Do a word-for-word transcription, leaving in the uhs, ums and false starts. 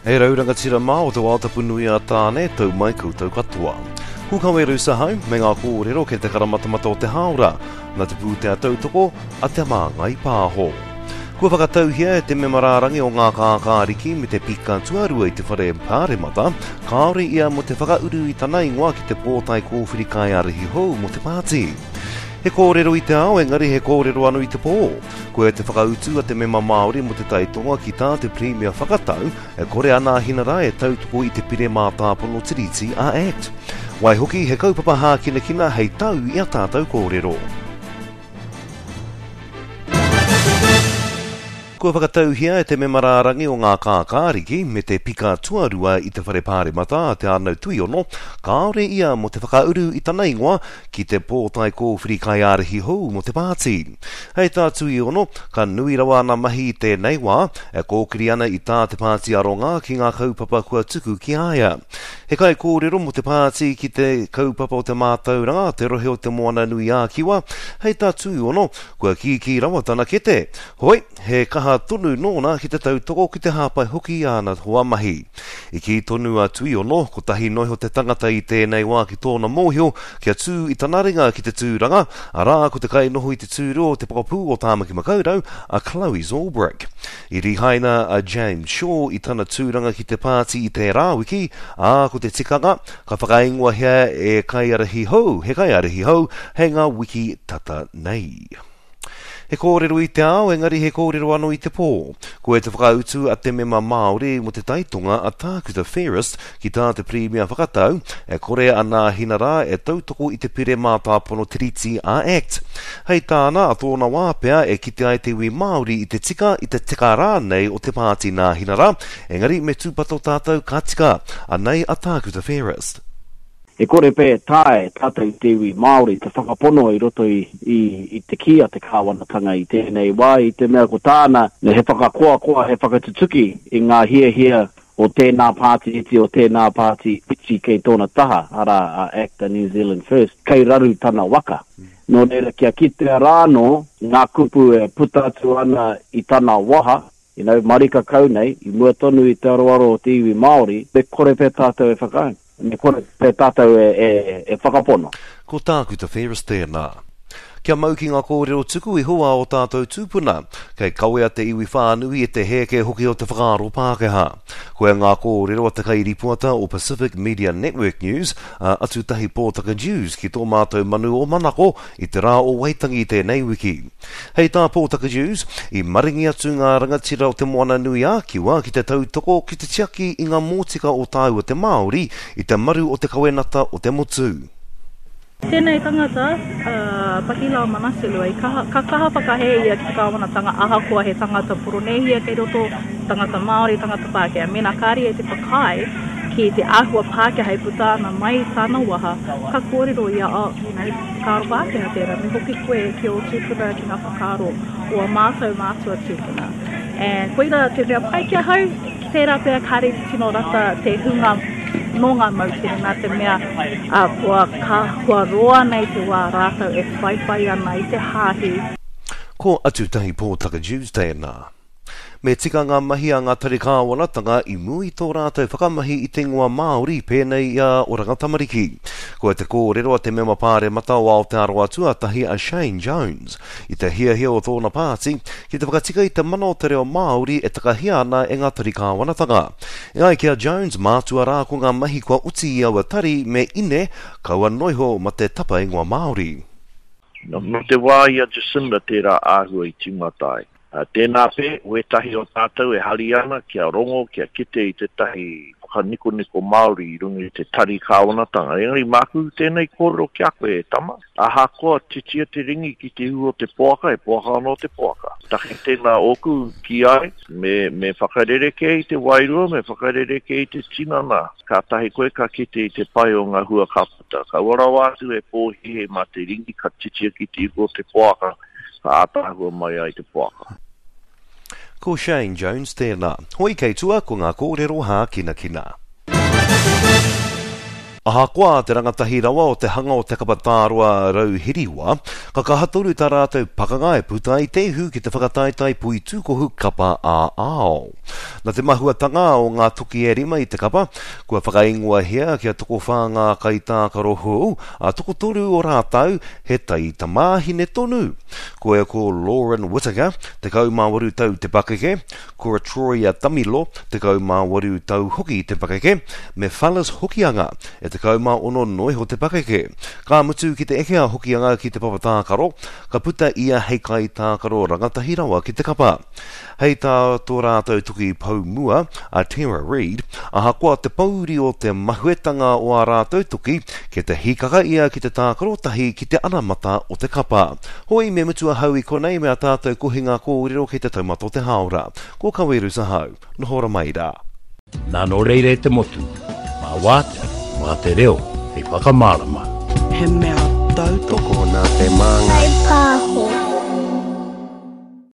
E rau rangatira mā o te wātapu nui a Tāne, tau mai koutou katoa. Ko Kawe Sahau me ngā kōrero kei te karamatamata o te hāora, nā te pūtea tautoko a Te Māngai Pāho. Kua whakatauhia e te mema rārangi o ngā kākāriki me te pika tuarua i te whare pāremata, kāore ia mo te whakauru i tana ingoa ki te pōtae kōwhiri kaiārahi hou mo te pāti. He kōrero i te ao, engari he kōrero anō i te pō. Koia te whakautu a te mema Māori mo te taitonga ki tā te Premier whakatau, e kore a Nāhinara e tautoko i te pire mātāpono tiriti a Act. Waihoki, he kaupapa hākinakina hei tau i a tātou kōrero. Kua whakatauhia e te mema rārangi o ngā kākāriki me te pika tuarua i te whare pāremata a Te Ānau Tuiono, kāore ia mo te whakauru i tana ingoa ki te pōtae kōwhiri kaiārahi hou mo te pāti. Hei tā Tuiono, ka nui rawa ana mahi i tēnei wā, e kōkiri ana i tā te pāti aronga ki ngā kaupapa kua tuku ki a ia. He kaikōrero mo te pāti ki te kaupapa o te mātauranga, te rohe o te Moana Nui ā-Kiwa, hei tā Tuiono, kua kīkī rawa tana kete. Hoi, he kaha tonu nōna ki te tautoko ki te hāpai hoki i āna hoa mahi. I kī tonu a Tuiono, kotahi noa iho te tangata i tēnei wā ki tōna mōhio kia tū i tana ringa ki te tūranga, arā ko te kainoho i te tūru o te pokapū o Tāmaki Makaurau, a Chloe Zurbrigg. I rihaina a James Shaw i tana tūranga ki te pāti i tērā wiki, ā, ko te tikanga, ka whakaingoahia e kaiārahi hou, he kaiārahi hou hei ngā wiki tata nei. He kōrero i te ao, engari he kōrero anō i te pō. Koia te whakautu a te mema Māori mo te taitonga a Tākuta Fairest ki tā te Premier whakatau, e kore a Nāhinara e tautoko i te pire mātāpono tiriti a Act. Hei tāna, a tōna wā pea e kite ai te iwi Māori i te tika, i te teka rānei o te pāti Nāhinara, engari me tūpato tātou ka tika. Anei a Tākuta Fairest. E kore pē tae tātou te iwi Māori te whakapono i roto i, i, i te kī a te kāwanatanga i tēnei wā, i te mea ko tāna he whakakoakoa, he whakatutuki i ngā hiahia o tēnā pāti iti, o tēnā pāti iti kei tōna taha, arā a Act a New Zealand First, kei raru tana waka. Nō reira kia kitea rānō ngā kupu e puta atu ana i tana waha, you know, marika kau nei, i mua tonu i te aroaro o te iwi Māori, me kore pē tātou e whakaae. Me kore pē tātou e, e, e whakapono. Ko Tākuta Fairest tēnā. Kia mau ki ngā kōrero tuku iho a o tātou tūpuna, kei kawea te iwi whānui e te hēke hoki o te whakaaro Pākehā. Koia ngā kōrero a te kairipoata o Pacific Media Network News, a Atutahi Pōtaka Dewes ki tō mātou manu o Manako i te rā o Waitangi tēnei wiki. Hei tā Pōtaka Dewes, i maringi atu ngā rangatira o te Moana Nui ā-Kiwa ki te tautoko ki te tiaki i ngā mōtika o tāua te Māori i te maru o te kawenata o te motu. Tēnei tangata, uh, Pakila Manaselu, i kaha, ka kaha whakahē ia ki te kāwanatanga ahakoa he tangata Poronēhia kei roto, tangata Māori, tangata Pākehā. Mēnā kāre e te whakaae ki te āhua Pākehā e puta ana mai tāna waha, ka kōrero ia, oh, you know, whakaaro Pākehā tērā, me hoki koe ki o tūpuna ki ngā whakaaro o a mātou mātua tūpuna. And koira te mea pai ki ahau, tērā pea kāre te tino rata te hunga nō ngā moutere nā te mea uh, kua, ka, kua roa nei te wā rātou e whaiwhai ana i te hāhi. Ko Atutahi Pōtaka Dewes tēnā. Me tika ngā mahi a ngā tari kāwanatanga i mua i tō rātou whakamahi i te ingoa Māori pēnei i a Oranga Tamariki. Koia te kōrero a te mema pāremata o Aotearoa tuatahi a Shane Jones i te hiahia o tōna pāti ki te whakatika i te mana o te reo Māori e takahia ana e ngā tari kāwanatanga. E ai ki a Jones, mātua rā ko ngā mahi kua oti i aua tari me ine kaua noa iho ma te tapa ingoa Māori. No te wā i a Jacinda tērā āhua i tīmata ai. Tēnā pē, wētahi o tātou e hari ana kia rongo, kia kite i tētahi whakanikoniko Māori i runga i te tari kāwanatanga. Engari māku tēnei kōrero ki a koe e tama. Ahakoa titia te ringi ki te ihu o te poaka, e poaka anō te poaka. Take tēnā ōku ki ai, me, me whakarereke i te wairua, me whakarereke i te tinana. Kātahi koe ka kite i te pai o ngā hua ka puta. Ka ua rawa atu e pōhihe mā te ringi ka titia ki te ihu o te poaka, ka ātaahua mai ai te poaka. Ko Shane Jones tēnā. Hoi kei tua ko ngā kōrero hākinakina. Ahakoa te rangatahi rawa o te hanga o te kapa tāroa Rauhiriwa, ka kaha tonu tā rātou pakanga e puta ai te ihu ki te whakataetae poitūkohu kapa ā-ao. Nā te mahuatanga o ngā toki e rima i te kapa, kua whakaingoahia kia tokowhā ngā kaitākaro hou, ā, tokotoru o rātou he taitamāhine tonu. Koia ko Lauren Whittaker, tekau mā waru tau te pakeke, ko Troia Tamilo, tekau mā waru tau hoki te pakeke, me Phyllis Hokianga, e tekau mā ono noa iho te pakeke. Ka mutu ki te eke a Hokianga ki te papa tākaro, ka puta ia hei kaitākaro rangatahi rawa ki te kapa. Hei tā tō rātou toki pou mua, a Tara Reid, ahakoa te pōuri o te mahuetanga o ā rātou toki, kei te hīkaka ia ki te tākaro tahi ki te anamata o te kapa. Hoi me mutu ahau i konei me ā tātou kohinga kōrero kei te taumata o te hāora. Ko Kaweru ahau. Noho ora mai rā. Nā nō reira e te motu, mā wātea, mā te reo, hei whakamārama. He mea tautoko Tokona te māngai.